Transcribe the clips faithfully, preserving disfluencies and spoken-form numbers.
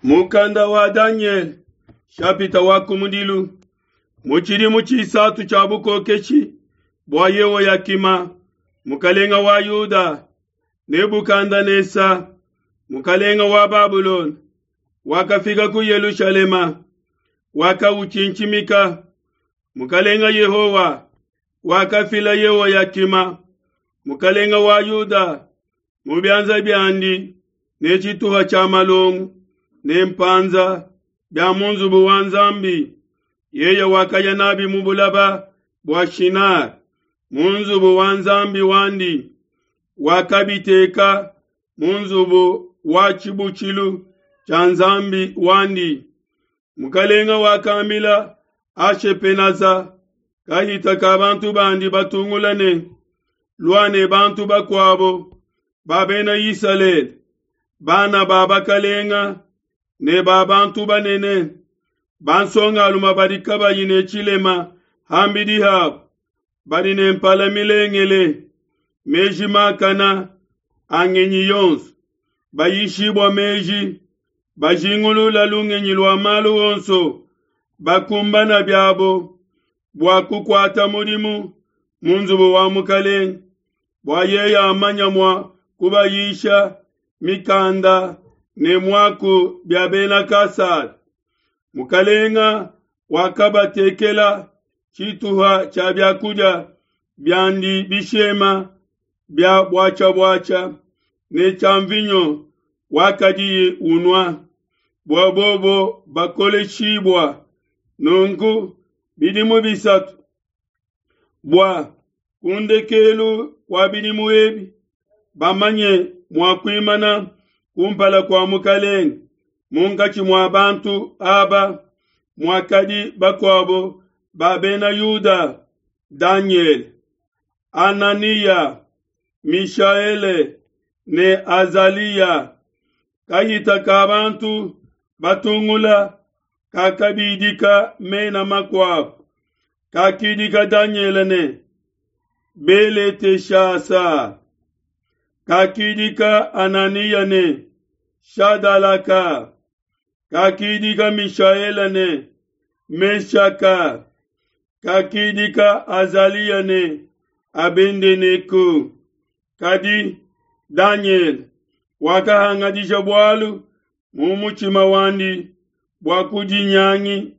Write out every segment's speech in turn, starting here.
Mukanda wa Danyele shapita wa kumudilu mu tshidimu tshisatu tshia bukokeshi bua Yehoyakima mukalenga wa Yuda, Nebukadnesa mukalenga wa Babulona wakafika ku Yelushalema, wakawutshintshimika. Mukalenga Yehowa wakafila Yehoyakima mukalenga wa Yuda mu bianza biandi ne tshituha tshia malongo ne mpanza bia mu nzubu wa Nzambi. Yeye wakaya nabi mu bulaba bua Shinar mu nzubu wa Nzambi wandi, wakabiteka mu nzubu wa tshibutshilu tshia Nzambi wandi. Mukalenga wakambila Ashepenaza kahita ka bantu bandi batungula ne, lua ne bantu bakuabo ba bena Isalele, bana ba bakalenga ne ba bantu banene, bansongalume badi kabayi ne tshilema hambidi habo, badi ne mpala milengele, meji makana a ngenyi yonso, bayishibua meji, bajingulula lungenyi lua malu onso, bakumbana biabo bua kukuata mudimu mu nzubu wa mukalenge, bua yeye amanya mua kubayisha mikanda ne muaku bia bena Kasada. Mukalenga wakabatekela tshituha tshia biakudia biandi bishema bia buatshia-buatshia ne tshia mvinyo wakadiye unua, bua bobo bakoleshibua. Nunku bidimu bisatu bua kundekelu kua bidimu ebi bamanye mua kuimana kumpala kua mukalenge munkatshi mua bantu aba muakadi bakuabo ba bena Yuda, Danyele, Ananiya, Mishaele ne Azaliya. Kahita ka bantu batungula kakabidika mena makuabo, kakidika Danyele ne Beleteshasa, kakidika Ananiya ne Shadalaka, kakidika Mishaele ne Meshaka, kakidika Azaliya ne Abedenego. Kadi Danyele wakahangadisha bualu mu mutshima wandi bua kudinyangi,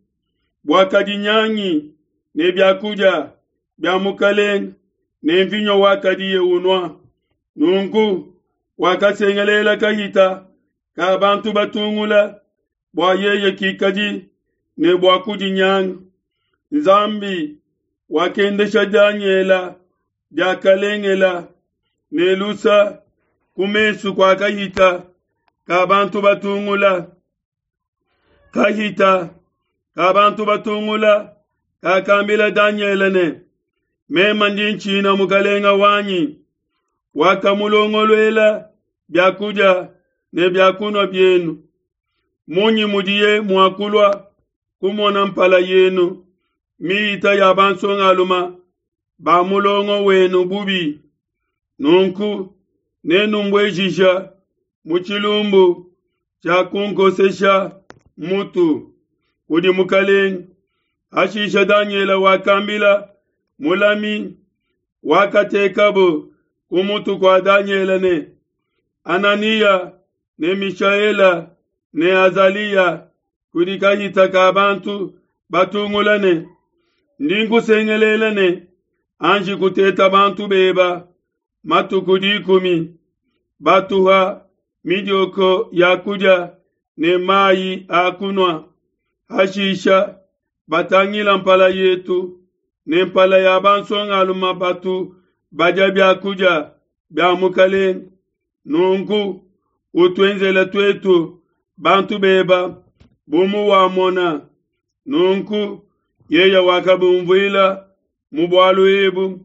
bua kadinyangi ne biakudia bia mukalenge ne mvinyo wakadiye unua. Nunku wakasengelela kahita ka bantu batungula bua yeye kikadi ne bua kudinyanga. Nzambi wakendesha Danyele diakalengela ne lusa ku mesu kua kahita ka bantu batungula. Kahita ka bantu batungula kakambila Danyele ne, mema ndi ntshina mukalenga wanyi, wakamulongoluela biakudia ne biakunua bienu. Munyi mudiye mua kulua kumona mpala yenu mihita ya bansongalume ba mulongo wenu bubi? Nunku nenumbuejija mu tshilumbu tshia kunkosesha mutu kudi mukalenge. Hashisha Danyele wakambila mulami wakatekabo ku mutu kua Danyele ne, Ananiya ne Mishaela ne Azaliya kudi kahita ka bantu batungula ne, ndi nkusengelela ne, anji kuteta bantu beba matuku dikumi, batuha midioko ya kudia ne mayi a kunua. Hashisha batangila mpala yetu ne mpala ya bansongalume batu badia biakudia bia mukalenge. Nunku utuenzele tuetu bantu beba bu muwamona. Nunku yeye wakabumvuila mu bualu ebu,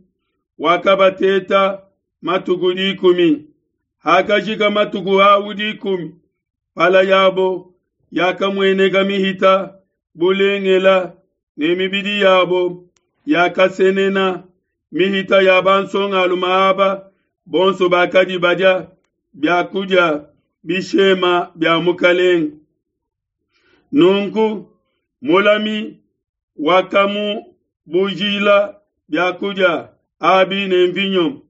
wakabateta matuku dikumi. Hakajika matuku au dikumi, mpala yabo yakamueneka mihita bulengela ne mibidi yabo yakasenena mihita ya bansongalume aba bonso bakadi badia biakudia bishema bia mukalenge. Nunku mulami wakamubujila biakudia abi ne mvinyo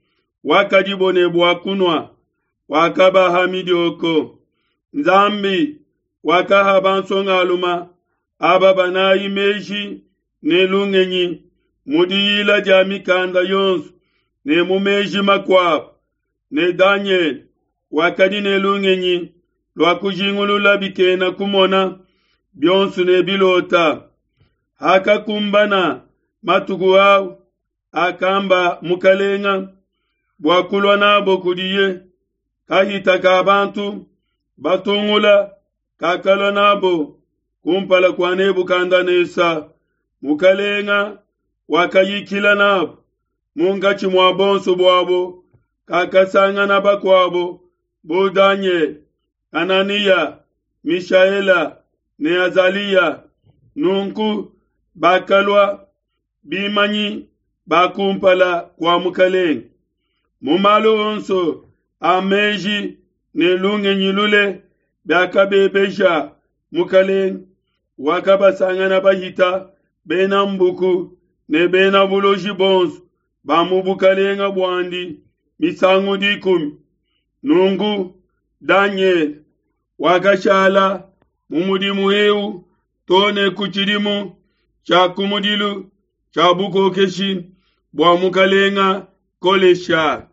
wakadibo ne bua kunua, wakabaha midioko. Nzambi wakaha bansongaluma aba banayi meji ne lungenyi mu diyila dia mikanda yonso ne mu meji makuabo, ne Danyele wakadi ne lungenyi lua kujingulula bikena kumona bionso ne bilota. Hakakumbana matuku au akamba mukalenga bua kulua nabo kudiye, kahita ka bantu batungula kakalua nabo kumpala kua Nebukadnesa. Mukalenga wakayikila nabo munkatshi mua bonso buabo, kakasangana bakuabo bu Danyele, Hananiya, Mishaela ne Azaliya. Nunku bakalua bimanyi ba kumpala kua mukalenga. Mu malu onso a meji ne lungenyi lule biakabebeja mukalenga, wakabasangana bahita bena mbuku ne bena buloji bonso ba mu bukalenga buandi misangu dikumi. Nunku Danyele wakashala mu mudimu eu too ne ku tshidimu tshia kumudilu tshia bukokeshi bua mukalenga Kolesha.